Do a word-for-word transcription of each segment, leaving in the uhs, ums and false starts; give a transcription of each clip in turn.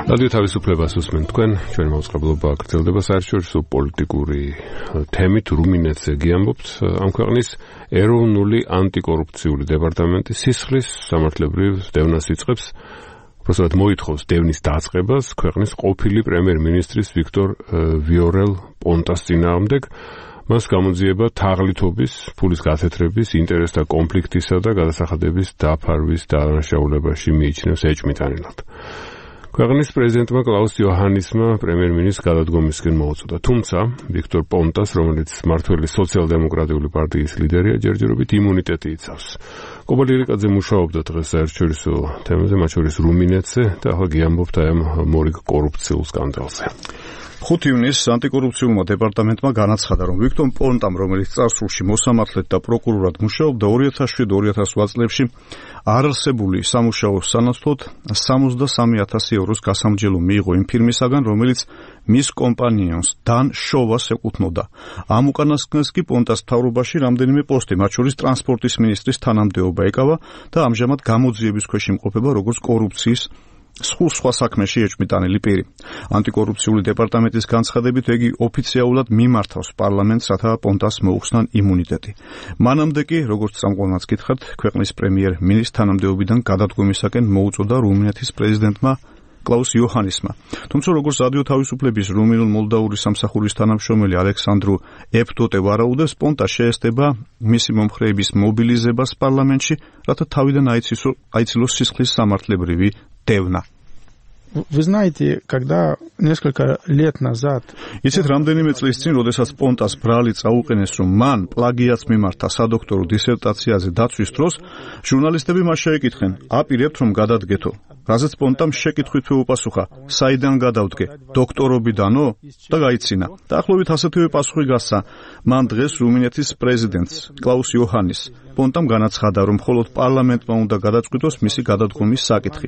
რადიო თავისუფლებას უსმენთ თქვენ, ჩვენი მოწყობილობა გრძელდება საერთაშორისო პოლიტიკური თემით რუმინეთზე გიამბობთ. ამ ქვეყნის ეროვნული ანტიკორუფციული დეპარტამენტი სისხლის სამართლებრივ დევნას იწყებს, უბრალოდ მოითხოვს დევნის დაწყებას ქვეყნის ყოფილი პრემიერ-მინისტრის ვიქტორ ვიორელ პონტას წინააღმდეგ. მას გამოძიება თაღლითობის, ფულის გათეთრების, ინტერესთა კონფლიქტისა და გადასახადების დაფარვის დანაშაულებაში მიიჩნევს ეჭვმიტანილად. ქვეყნის პრეზიდენტმა კლაუს იოჰანისმა პრემიერ-მინისტრს გადადგომისკენ მოუწოდა. თუმცა ვიქტორ პონტას, რომელიც მმართველი სოციალ-დემოკრატიული პარტიის ლიდერია, ჯერჯერობით იმუნიტეტი იცავს. კობალ ილიკაძე მუშაობდა დღეს საერთაშორისო თემაზე, მათ შორის რუმინეთზე და ახლა გიამბობთ აი ამ მორიგ კორუფციულ სკანდალზე. ხუთი ივნისს ანტიკორუფციულმა დეპარტამენტმა განაცხადა, რომ ვიქტორ პონტამ, რომელიც წარსულში მოსამართლედ და პროკურორად მუშაობდა, ორი ათას შვიდი ორი ათას ოთხ წლებში არარსებული სამუშაოს სანაცვლოდ სამოცდასამი ათასი ევროს გასამჯელო მიიღო იმ ფირმისაგან, რომელიც მის კომპანიონს დან შოვას ეკუთვნოდა. ამ უკანასკნელს კი პონტას მთავრობაში რამდენიმე პოსტი, მათ შორის ტრანსპორტის მინისტრის თანამდებობა ეკავა და ამჟამად გამოძიების ქვეშ იმყოფება როგორც კორუფციის სულ სხვა საქმეში ეჭვმიტანილი პირი. ანტიკორუფციული დეპარტამენტის განცხადებით, იგი ოფიციალურად მიმართავს პარლამენტს, რათა პონტას მოუხსნან იმუნიტეტი. მანამდე კი, როგორც წამყვანაც გითხართ, ქვეყნის პრემიერ-მინისტრს თანამდებობიდან გადადგომისაკენ მოუწოდა რუმინეთის პრეზიდენტმა კლაუს იოჰანისმა. თუმცა, როგორც რადიო თავისუფლების რუმინულ-მოლდავური სამსახურის თანამშრომელი ალექსანდრუ ეფტოტე ვარაუდებს, პონტა შეესწება მისი მომხრეების მობილიზებას პარლამენტში, რათა თავიდან აიცილოს სისხლის სამართლებრივი დევნა. Вы знаете, когда несколько лет назад იცით, რამდენიმე წლის წინ, როდესაც პონტას ბრალი წაუყენეს, რომ მან პლაგიატს მიმართა სადოქტორო დისერტაციაზე დაცვის დროს, ჟურნალისტები მას შეეკითხნენ, აპირებთ რომ გადადგეთო. რაზეც პონტამ შეკითხვით უპასუხა, საიდან გადავდგე, დოქტორობიდანო? და გაიცინა. დაახლოებით ასეთივე პასუხი გასცა მან დღეს რუმინეთის პრეზიდენტს კლაუს იოჰანის. პონტამ განაცხადა, რომ მხოლოდ პარლამენტმა უნდა გადაწყვიტოს მისი გადადგომის საკითხი.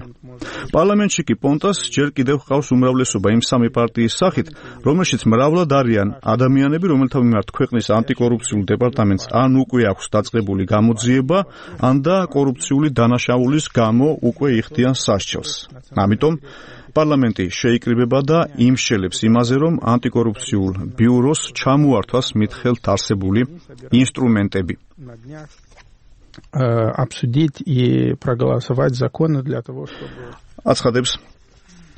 პარლამენტში კი პონტას ჯერ კიდევ ჰყავს უმრავლესობა იმ სამი პარტიის სახით, რომელშიც მრავლად არიან ადამიანები, რომელთა მიმართ ქვეყნის ანტიკორუფციულ დეპარტამენტს ან უკვე აქვს დაწყებული გამოძიება, ან და კორუფციული დანაშაულის გამო უკვე იხდიან სასჯელს. ამიტომ პარლამენტი შეიკრიბება და იმშელებს имазе, რომ ანტიკორუფციულ ბიუროს ჩამოართვას მითხელთ არსებული ინსტრუმენტები. обсудить и проголосовать законы для того, чтобы აცხადებს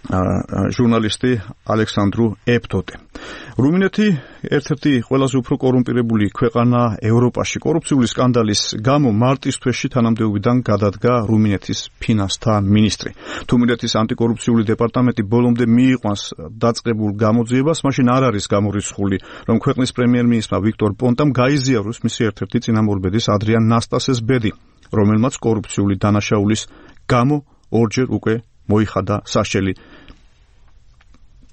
ჟურნალისტი ალექსანდრუ ეფტოტე. რუმინეთი ერთ-ერთი ყველაზე უფრო კორუმპირებული ქვეყანა ევროპაში. კორუფციული სკანდალის გამო მარტის თვეში თანამდებობიდან გადადგა რუმინეთის ფინანსთა მინისტრი. თუ რუმინეთის ანტიკორუფციული დეპარტამენტი ბოლომდე მიიყვანს დაწყებულ გამოძიებას, მაშინ არ არის გამორიცხული, რომ ქვეყნის პრემიერ-მინისტრმა ვიქტორ პონტამ გაიზიაროს მისი ერთ-ერთი წინამორბედის ადრიან ნასტასეს ბედი, რომელმაც კორუფციული დანაშაულის გამო ორჯერ უკვე მოიხადა სასჯელი.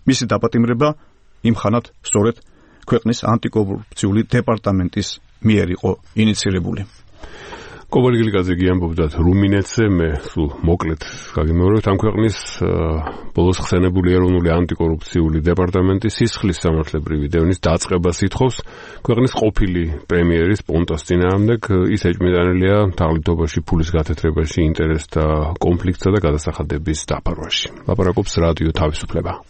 მისი დაპატიმრება იმხანად სწორედ ქვეყნის ანტიკორუფციული დეპარტამენტის მიერ იყო ინიცირებული. კობალ ილიკაძე გიამბობდათ რუმინეთზე, მე სულ მოკლედ გაგიმეორებთ, ამ ქვეყნის ბოლოს ხსენებული ეროვნული ანტიკორუფციული დეპარტამენტი სისხლის სამართლებრივი დევნის დაწყებას ითხოვს ქვეყნის ყოფილი პრემიერის პონტას წინააღმდეგ. ის ეჭვმიტანილია თაღლითობაში, ფულის გათეთრებაში, ინტერესთა კონფლიქტსა და გადასახადების დაფარვაში. ლაპარაკობს რადიო თავისუფლება.